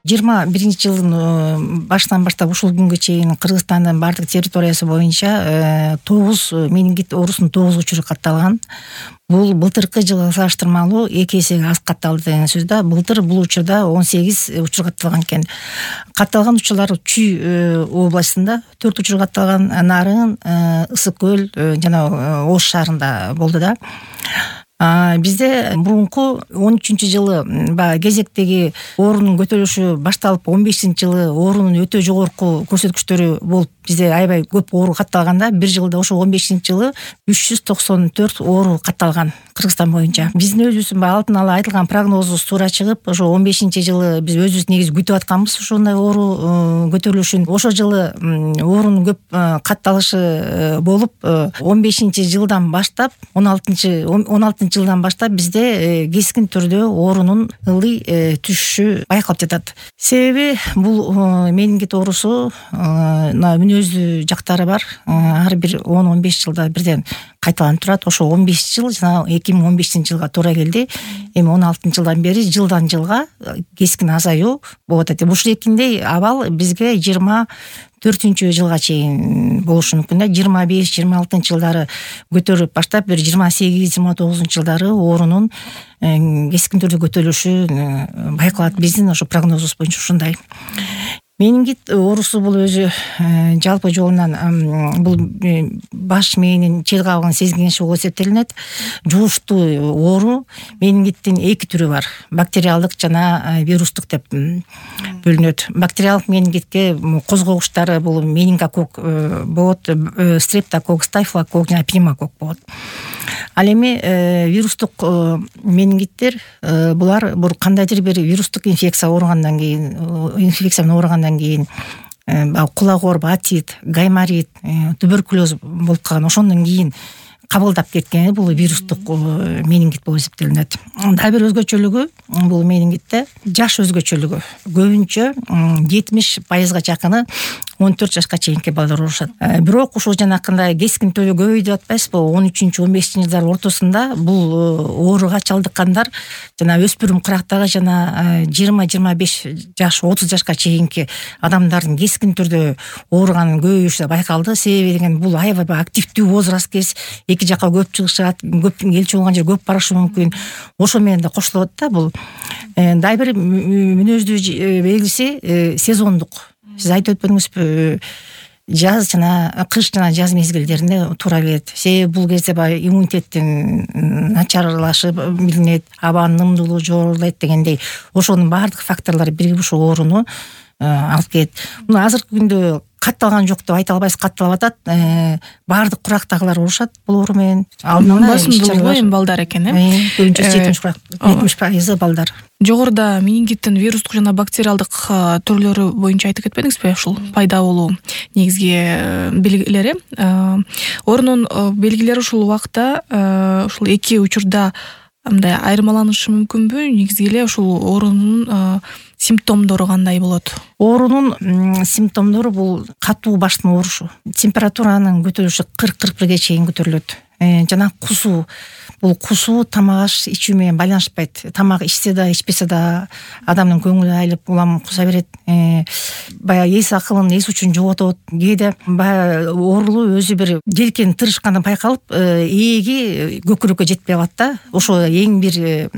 21 жылдын башынан баштап ушул күнгө чейин Кыргызстандын бардык территориясы боюнча 9 менингит оорусунун 9 учуру катталган. Бул былтыркы жылга салыштырмалуу 2 эсеге аз катталды деген сөз да. Былтыр бул учурда 18 учур катталган экен. Катталган учурлар Чүй областында 4 учур катталган, Нарын, Ысык көл жана Ош шаарында болду да. Бизде мурунку 13-жылы баягы кезектеги оорунун көтөрүлүшү башталып 15-жылы оорунун өтө жогорку көрсөткүчтөрү болуп бизде аябай көп оору катталганда, бир жылда ошо 15-жылы 394 оору катталган Кыргызстан боюнча. Биздин өзүбүздүн алдын ала айтылган прогнозубуз туура чыгып, ошо 15-жылы биз өзүбүз негизи күтүп атканбыз ошондой оору көтөрүлүшүн. Ошол жылы оорунун көп катталышы болуп, 15-жылдан баштап 16-жылдан баштап бизде кескин түрдө оорунун ылдый түшүшү байкалып жатат. Себеби бул менингит оорусу мүнөздүү жактары бар. Ар бир 10-15 жылда бирден кайталанып турат. Ошо 15 жыл жана 2015-жылга туура келди. Эми 16-жылдан бери жылдан жылга кескин азаюу болуп атат. Ушул экиндей абал бизге 24-жылга чейин болушу мүмкүн да. 25-26 жылдары көтөрүп баштап, бир 28-29 жылдары оорунун кескин түрдө көтөрүлүшү байкалат. Биздин ошо прогнозубуз боюнча ушундай. Менингит оорусу бул өзү жалпы жолунан бул баш мээнин чет кабыгын сезгениши болуп эсептелинет. Жугуштуу оору менингиттин 2 түрү бар. Бактериалдык жана вирустук деп бөлүнөт. Бактериалдык менингитке козгогучтары бул менингококк болот, стрептококк, стафилококк жана пневмококк болот. Ал эми вирустук менингиттер булар кандайдыр бир вирустук инфекция ооругандан кийин, кулак ооруп, атит, гайморит, туберкулез болуп калган, ошондон кийин кабылдап кеткен бул вирустук менингит болуп эсептелинет. Дагы бир өзгөчөлүгү бул менингитте жаш өзгөчөлүгү. Көбүнчө 70%га жакыны 14 жашка чейинки балдар оорушат. Бирок ушул жанакындай кескин түрдө көбөйдү деп атпайсызбы? 13-15 жылдар ортосунда бул ооруга чалдыккандар жана өспүрүм курактагы жана 20-25 жаш, 30 жашка чейинки адамдардын кескин түрдө ооруганын көбөйүшү байкалды. Себеби деген бул аябай активдүү возраст кез, эки жакка көп чыгышат, көп элчи болгон жер көп барышы мүмкүн. Ошо менен да кошулат да бул. Дагы бир мүнөздүү белгиси сезондук. Сиз айтып өтпөдүңүзбү? Жаз жана кыш жана жаз мезгилдеринде туура келет. Себеби бул кезде баягы иммунитеттин начарлашы билинет, абанын нымдуулугу жогорулайт дегендей. Ошонун баардык факторлору биригип ушул ооруну алып келет. Мына азыркы күндө катталган жок деп айта албайсыз, катталып атат. Баардык курактагылар оорушат бул оору менен. Басымдуулугу эми балдар экен, көбүнчө 70% балдар. Жогоруда менингиттин вирустук жана бактериалдык түрлөрү боюнча айтып кетпедиңизби? Ушул пайда болуу негизги белгилери. Оорунун белгилери ушул убакта ушул эки учурда мындай айырмаланышы мүмкүнбү? Негизги эле ушул оорунун симптомдору кандай болот? Оорунун симптомдору бул катуу баштын оорушу, температуранын көтөрүлүшү 40-41ге чейин көтөрүлөт. Жана кусуу. Бул кусуу тамак аш ичүү менен байланышпайт. Тамак ичсе да, ичпесе да адамдын көңүлү айылып, улам куса берет. Баягы эс акылын, эс учун жоготот. Кээде баягы оорулуу өзү бир желкен тырышканда байкалып, ээги көкүрөккө жетпей калат да. Ошо эң бир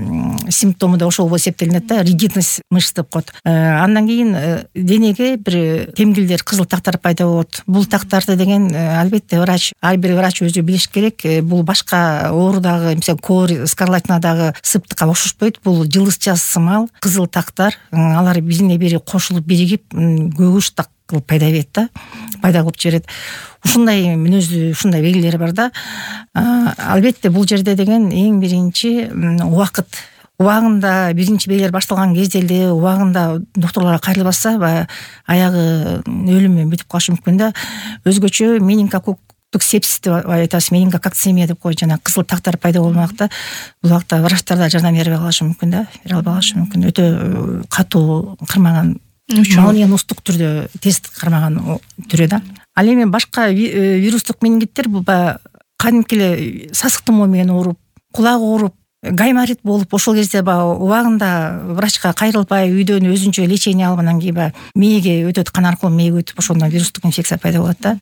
симптому да ошол болуп эсептелинет да, ригидность мышц деп коет. Андан кийин денеге бир темгилдер, кызыл тактар пайда болот. Бул тактарды деген албетте ар бир врач өзү билиш керек. Бул башка оорудагы, мисалы, кор, скарлатинадагы сыптыкка окшошпойт. Бул жылдызча сымал, кызыл тактар, алар бирине бири кошулуп биригип көгүш так кылып пайда берет да, пайда кылып жиберет. Ушундай мүнөздүү, ушундай белгилери бар да. Албетте бул жерде деген эң биринчи убакыт. Убагында биринчи белгилер башталган кезде эле убагында докторлорго кайрылбаса, аягы өлүм менен бүтүп калышы мүмкүн да. Өзгөчө менингококк сепсис деп айтасыз, менингококцемия деп коет, жана кызыл тактар пайда болмакта. Бул убакта врачтар да жардам бере алышы мүмкүн да, бере албашы мүмкүн. Өтө катуу кырмаган, молниеностук түрдө тез кармаган түрү да. Ал эми башка вирустук менингиттер бул кадимки эле сасык тумоо менен ооруп, кулак ооруп, гайморит болуп ошол кезде баягы убагында врачка кайрылбай үйдөн өзүнчө лечение алып анан кийин баягы мээге өтөт, кан аркылуу мээге өтүп ошондон вирустук инфекция пайда болот да.